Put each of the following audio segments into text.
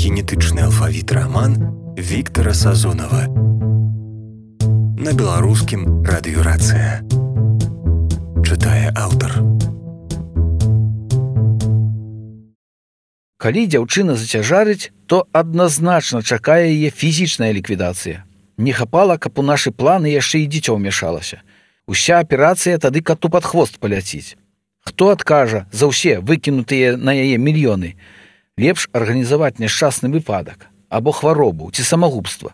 Генетычны алфавіт раман Віктара Сазонава. На беларускім радыёрацыя. Чытае аўтар. Калі дзяўчына зацяжарыць, то адназначна чакае яе фізічная ліквідацыя. Не хапала, каб у нашы планы яшчэ і дзіцё ўмяшалася. Уся аперацыя тады кату пад хвост паляціць. Хто адкажа за ўсе выкінутыя на яе мільёны? Лепш арганізаваць няшчасны выпадак, або хваробу ці самагубства.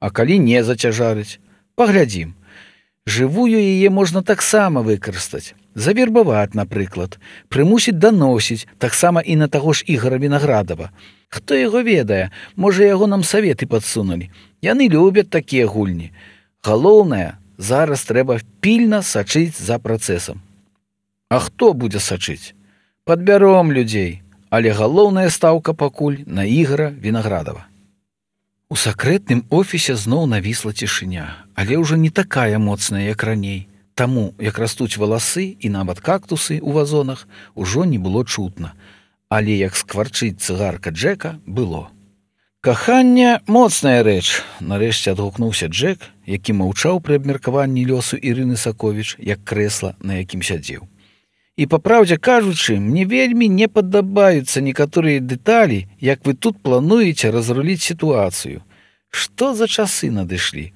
А калі не зацяжарыць, паглядзім. Жывую яе можна таксама выкарыстаць. Завербаваць, напрыклад, прымусіць даносіць, таксама і на таго ж Ігора Вінаградава. Хто яго ведае, можа яго нам саветы падсунулі. Яны любяць такія гульні. Галоўнае, зараз трэба пільна сачыць за працэсам. А хто будзе сачыць? Падбяром людзей, але галоўная стаўка пакуль на Ігора Вінаградава. У сакрэтным офісе зноў навісла цішыня, але ўжо не такая моцная, як раней. Таму, як растуць валасы і нават кактусы ў вазонах, ужо не было чутна. Але як скварчыць цыгарка Джека, было. «Каханне – моцная рэч», – нарэшце адгукнуўся Джек, які маўчаў пры абмеркаванні лёсу Ірыны Саковіч, як крэсла, на якім сядзеў. І, па праўдзе кажучы, мне вельмі не падабаюцца некаторыя дэталі, як вы тут плануеце разруліць сітуацыю. Што за часы надышлі?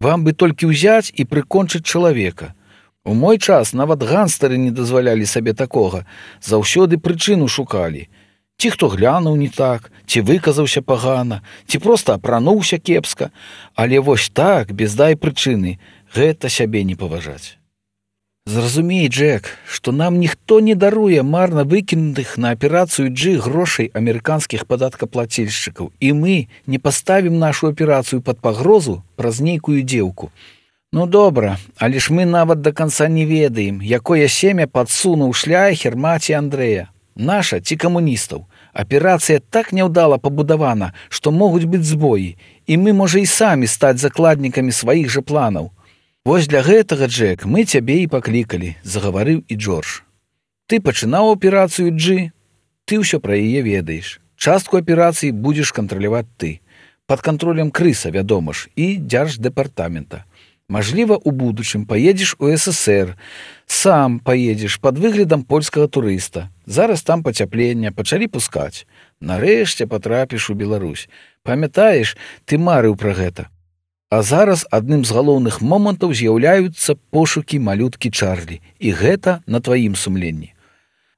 Вам бы толькі ўзяць і прыкончыць чалавека. У мой час нават ганстары не дазвалялі сабе такога, заўсёды прычыну шукалі. Ці хто глянуў не так, ці выказаўся пагана, ці проста апрануўся кепска. Але вось так, без дай прычыны, гэта сябе не паважаць. Зразумей, Джек, што нам ніхто не даруе марна выкінутых на аперацыю G грошай амерыканскіх падаткаплацельшчыкаў, і мы не паставім нашу аперацыю пад пагрозу праз нейкую дзеўку. Ну добра, але ж мы нават да канца не ведаем, якое семя падсунуў шляхер маці Андрэя. Наша ці камуністаў. Аперацыя так няўдала пабудавана, што могуць быць збоі, і мы, можа, і самі стаць закладнікамі сваіх жа планаў. Вось для гэтага, Джек, мы цябе і паклікалі, загаварыў і Джордж. Ты пачынаў аперацыю G, ты ўсё пра яе ведаеш. Частку аперацыі будзеш кантраляваць ты. Пад кантролем Крыса, вядома ж, і дзярждэпартамента. Мажліва, у будучым паедзеш у СССР, сам паедзеш пад выглядам польскага турыста. Зараз там пацяпленне, пачалі пускаць. Нарэшце патрапіш у Беларусь. Памятаеш, ты марыў пра гэта. А зараз адным з галоўных момантаў з'яўляюцца пошукі малюткі Чарлі. І гэта на тваім сумленні.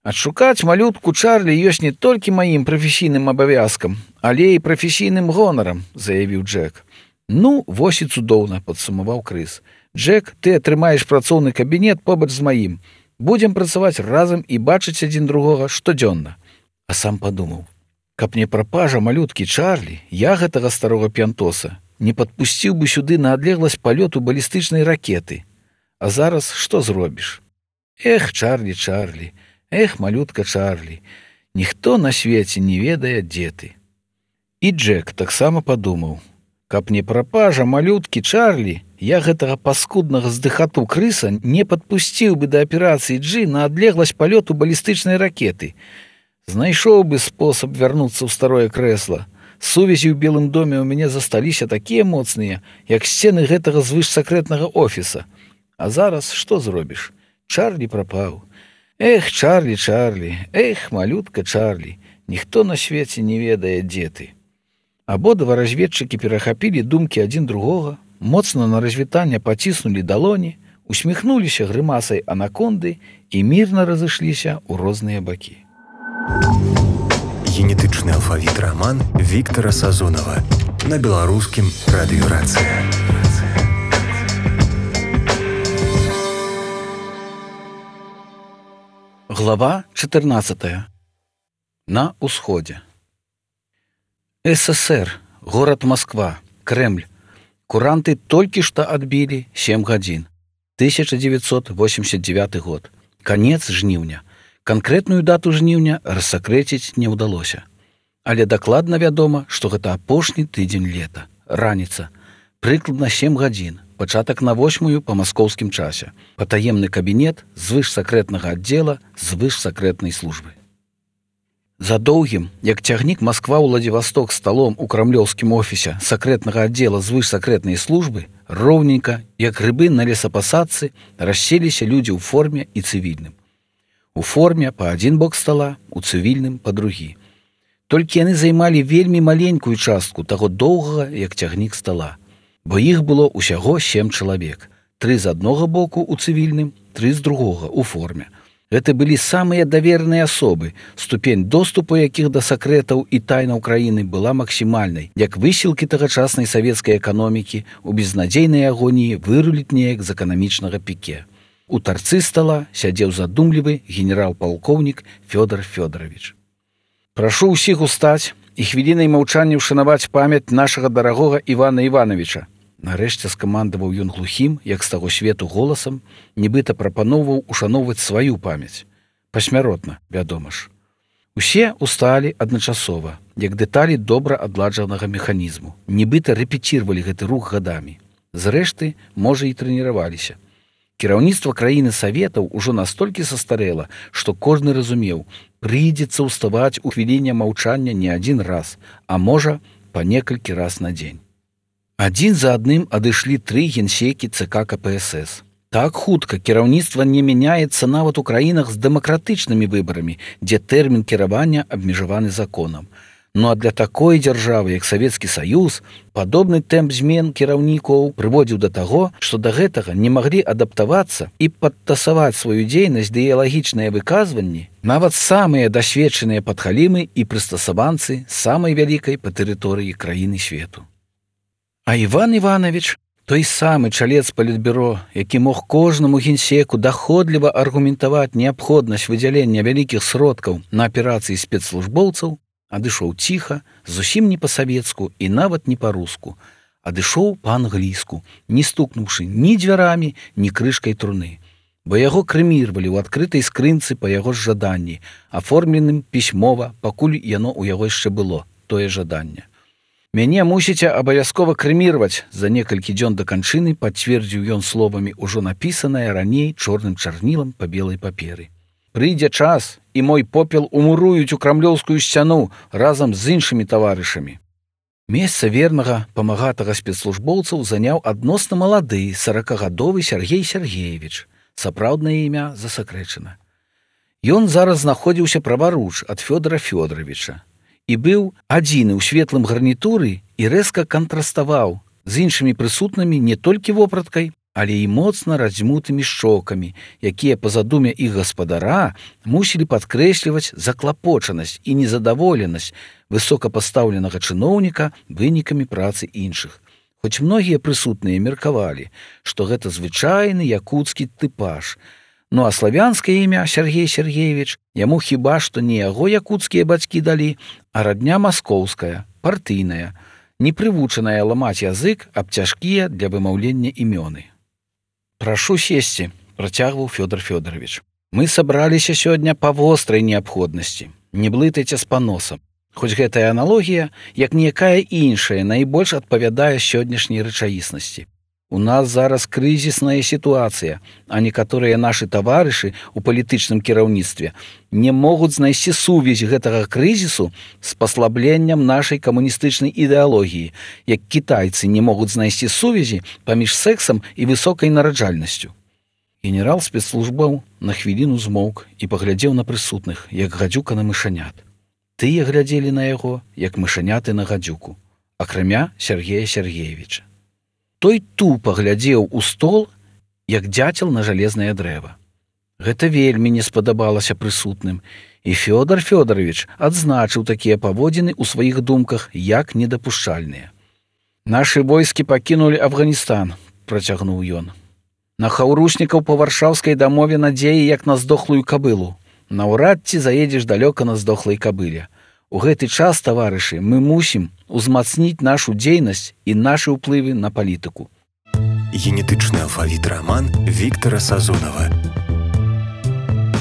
Адшукаць малютку Чарлі ёсць не толькі маім прафесійным абавязкам, але і прафесійным гонарам, заявіў Джек. Ну, вось і цудоўна, падсумаваў Крыс. Джек, ты атрымаеш працоўны кабінет побач з маім. Будзем працаваць разам і бачыць адзін другога штодзённа. А сам падумаў, каб не прапажа малюткі Чарлі, я гэтага старога п'янтоса не падпусціў бы сюды на адлегласць палёту балістычнай ракеты. А зараз што зробіш? Эх, Чарлі, Чарлі, эх, малютка Чарлі, ніхто на свеце не ведае, дзе ты. І Джек таксама падумаў, каб не прапажа малюткі Чарлі, я гэтага паскуднага здыхату Крыса не падпусціў бы да аперацыі G на адлегласць палёту балістычнай ракеты. Знайшоў бы спосаб вярнуцца ў старое крэсла. Сувязі ў Белым доме ў мяне засталіся такія моцныя, як сцены гэтага звышсакрэтнага офіса. А зараз што зробіш? Чарлі прапаў. Эх, Чарлі, Чарлі, эх, малютка Чарлі, ніхто на свеце не ведае, дзе ты. Абодва разведчыкі перахапілі думкі адзін другога, моцна на развітанне паціснулі далоні, усміхнуліся грымасай анаконды і мірна разышліся ў розныя бакі. Генетычны алфавіт раман Віктара Сазонава. На беларускім радыёрацыя. Глава 14. На ўсходзе. СССР, горад Москва, Кремль. Куранты толькі што адбілі 7 гадзін. 1989 год. Канец жніўня. Канкрэтную дату жніўня рассакрэціць не ўдалося. Але дакладна вядома, што гэта апошні тыдзень лета, раніца, прыкладна 7 гадзін, пачатак на 8 па маскоўскім часе, патаемны кабінет звышсакрэтнага аддзела звышсакрэтнай службы. За доўгім, як цягнік Москва-Владивосток сталом у крамлёўскім офісе сакрэтнага аддзела звышсакрэтнай службы, роўненька, як грыбы на лесапасадцы, расселіся людзі ў форме і цывільным. У форме па адзін бок стала, у цывільным па другі. Толькі яны займалі вельмі маленькую частку таго доўгага, як цягнік стала, бо іх было ўсяго 7 чалавек, 3 з аднога боку ў цывільным, 3 з другога ў форме. Гэта былі самыя даверныя асобы, ступень доступу якіх да сакрэтаў і тайнаў краіны была максімальнай, як высілкі тагачаснай савецкай эканомікі у безнадзейнай агоніі выруліць неяк з эканамічнага піке. У тарцы стала сядзеў задумлівы генерал-палкоўнік Фёдор Фёдорович. Прашу ўсіх устаць і хвілінай маўчання ўшанаваць памяць нашага дарагога Івана Івановича. Нарэшце скамандаваў ён глухім, як з таго свету голасам, нібыта прапаноўваў ушаноўваць сваю памяць. Пасмяротна, вядома ж. Усе усталі адначасова, як дэталі добра адладжанага механізму. Нібыта рэпеціравалі гэты рух гадамі. Зрэшты, можа, і трэніраваліся. Кіраўніцтва краіны саветаў ужо настолькі састарэла, што кожны разумеў, прыйдзецца ўставаць у хвіліне маўчання не адзін раз, а можа, па некалькі раз на дзень. Адзін за адным адышлі 3 генсекі ЦК КПСС. Так хутка кіраўніцтва не мяняецца нават у краінах з дэмакратычнымі выбарамі, дзе тэрмін кіравання абмежаваны законам. Ну а для такой дзяржавы, як Савецкі Саюз, падобны тэмп змен кіраўнікоў прыводзіў да таго, што да гэтага не маглі адаптавацца і падтасаваць сваю дзейнасць ідэалагічныя выказванні нават самыя дасведчаныя падхалімы і прыстасаванцы самай вялікай па тэрыторыі краіны свету. А Іван Іванович, той самы чалец палітбюро, які мог кожнаму генсеку даходліва аргументаваць неабходнасць выдзялення вялікіх сродкаў на аперацыі спецслужбоўцаў, адышоў ціха, зусім не па-савецку і нават не па-руску. Адышоў па-англійску, не стукнуўшы ні дзвярамі, ні крышкай труны. Бо яго крэміравалі ў адкрытай скрынцы па яго ж жаданні, аформленым пісьмова, пакуль яно ў яго яшчэ было, тое жаданне. Мяне мусіце абавязкова крэміраваць, за некалькі дзён да канчыны пацвердзіў ён словамі ўжо напісанае раней чорным чарнілам па белай паперы. Прыйдзе час, і мой попел умуруюць у крамлёўскую сцяну разам з іншымі таварышамі. Месца вернага памагатага спецслужбоўцаў заняў адносна малады 40гадовы Сергей Сергеевич. Сапраўднае імя засакрэчана. Ён зараз знаходзіўся праваруч ад Фёдора Фёдоровича і быў адзіны ў светлым гарнітуры і рэзка кантраставаў з іншымі прысутнымі не толькі вопраткай, але і моцна раздзьмутымі шчокамі, якія па задуме іх гаспадара мусілі падкрэсліваць заклапочанасць і незадаволенасць высокапастаўленага чыноўніка вынікамі працы іншых. Хоць многія прысутныя меркавалі, што гэта звычайны якуцкі тыпаж. Ну а славянскае імя Сергей Сергеевич яму хіба што не яго якуцкія бацькі далі, а радня маскоўская, партыйная, непрывучаная ламаць язык аб цяжкія для вымаўлення імёны. «Прашу сесці», – працягваў Фёдор Фёдорович. «Мы сабраліся сёння па вострай неабходнасці. Не блытайце з паносам. Хоць гэтая аналогія, як ніякая іншая, найбольш адпавядае сённяшняй рэчаіснасці. У нас зараз крызісная сітуацыя, а некаторыя нашы таварышы ў палітычным кіраўніцтве не могуць знайсці сувязь гэтага крызісу з паслабленнем нашай камуністычнай ідэалогіі, як кітайцы не могуць знайсці сувязі паміж сэксам і высокай нараджальнасцю». Генерал спецслужбаў на хвіліну змоўк і паглядзеў на прысутных, як гадзюка на мышанят. Тыя глядзелі на яго, як мышаняты на гадзюку, акрамя Сергея Сергеевича. Той тупа глядзеў у стол, як дзяцел на жалезнае дрэва. Гэта вельмі не спадабалася прысутным, і Фёдор Фёдорович адзначыў такія паводзіны ў сваіх думках як недапушчальныя. «Нашы войскі пакінулі Афганістан», – працягнуў ён. «На хаўруснікаў па варшаўскай дамове надзеі, як на здохлую кабылу. Наўрад ці заедзеш далёка на здохлай кабыле. У гэты час, таварышы, мы мусім узмацніць нашу дзейнасць і нашы ўплывы на палітыку». Генетычны алфавіт раман Віктара Сазонава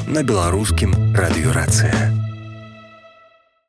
на беларускім радыёрацыя.